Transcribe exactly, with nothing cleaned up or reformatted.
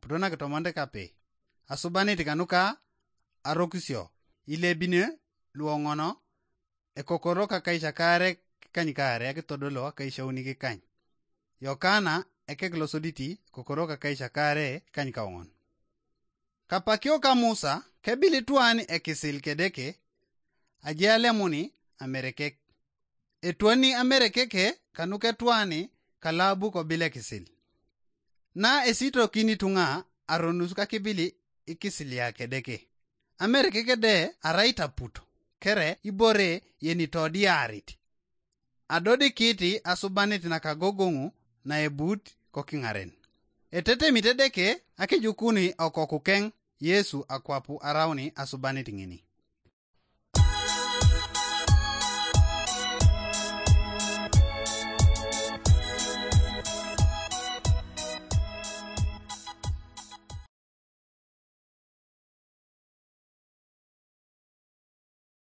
Todonakitomonte kape asubanit kanuka arokisio ilebine luoŋono ekokoro kakaisakare kikanykaare akitodolo akaishauni kikany. Yokana ekek losoditi ekokoro kakaisakare kikanykaoŋon. Kapakio ka Musa kebili tuan ekisil kedeke, ajealemuni amerekek. Etwani amerekeke kanuketuani kalabu kobil ekisil. Na esitokini tuŋa aronus kakibili ikisilia kedeke. Amerekeke de arai taputo kere ibore yenitodiarit. Adodikiti asubanit nakagogoŋu naebut kokiŋaren. Etetemit Edeke akijukuni okokukeŋ Yesu akwapu arauni asubanit ŋini.